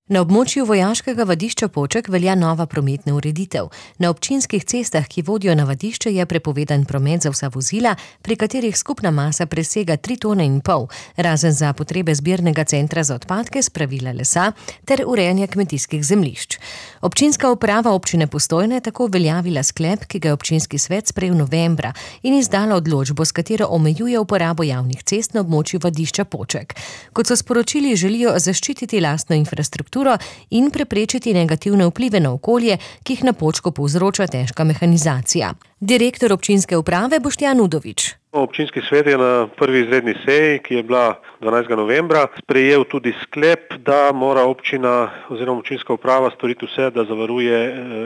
Na območju vojaškega vadišča Poček velja nova prometna ureditev. Na občinskih cestah, ki vodijo na vadišče, je prepovedan promet za vsa vozila, pri katerih skupna masa presega 3,5 tone, razen za potrebe zbirnega centra za odpadke, spravila lesa ter urejanja kmetijskih zemljišč. Občinska uprava občine Postojna je tako uveljavila sklep, ki ga je občinski svet sprejel novembra in izdala odločbo, s katero omejuje uporabo javnih cest na območju vadišča Poček. Kot so sporočili, želijo zaščititi lastno infrastrukturo in preprečiti negativne vplive na okolje, ki jih na Počku povzroča težka mehanizacija. Direktor občinske uprave Boštjan Udovič. Občinski svet je na prvi izredni seji, ki je bila 12. novembra, sprejel tudi sklep, da mora občina oziroma občinska uprava storiti vse, da zavaruje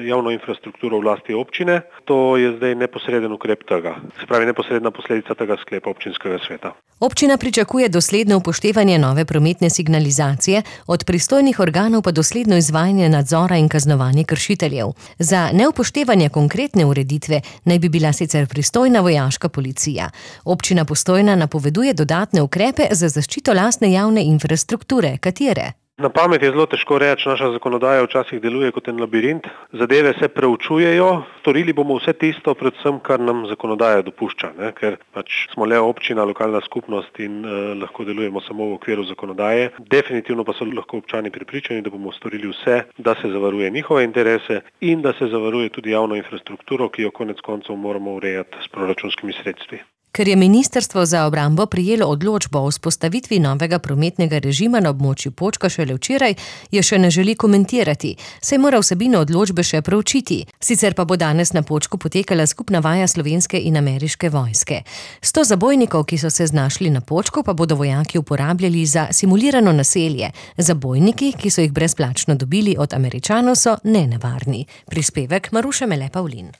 javno infrastrukturo v lasti občine. To je zdaj neposreden ukrep tega, se pravi neposredna posledica tega sklepa občinskega sveta. Občina pričakuje dosledno upoštevanje nove prometne signalizacije, od pristojnih organov pa dosledno izvajanje nadzora in kaznovanje kršiteljev. Za neupoštevanje konkretne ureditve naj bi bila sicer pristojna vojaška policija. Občina Postojna napoveduje dodatne ukrepe za zaščito lastne javne infrastrukture. Katere? Na pamet je zelo težko reči, naša zakonodaja včasih deluje kot en labirint. Zadeve se preučujejo, storili bomo vse tisto, predvsem kar nam zakonodaja dopušča, ker smo le občina, lokalna skupnost in lahko delujemo samo v okviru zakonodaje. Definitivno pa so lahko občani prepričani, da bomo storili vse, da se zavaruje njihove interese in da se zavaruje tudi javno infrastrukturo, ki jo konec koncev moramo urejati s proračunskimi sredstvi. Ker je Ministrstvo za obrambo prejelo odločbo o vzpostavitvi novega prometnega režima na območju Počka šele včeraj, je še ne želi komentirati, saj mora vsebino odločbe še proučiti. Sicer pa bo danes na Počku potekala skupna vaja slovenske in ameriške vojske. 100 zabojnikov, ki so se znašli na Počku, pa bodo vojaki uporabljali za simulirano naselje. Zabojniki, ki so jih brezplačno dobili od Američanov, so nenevarni. Prispevek Maruše Mele Pavlin.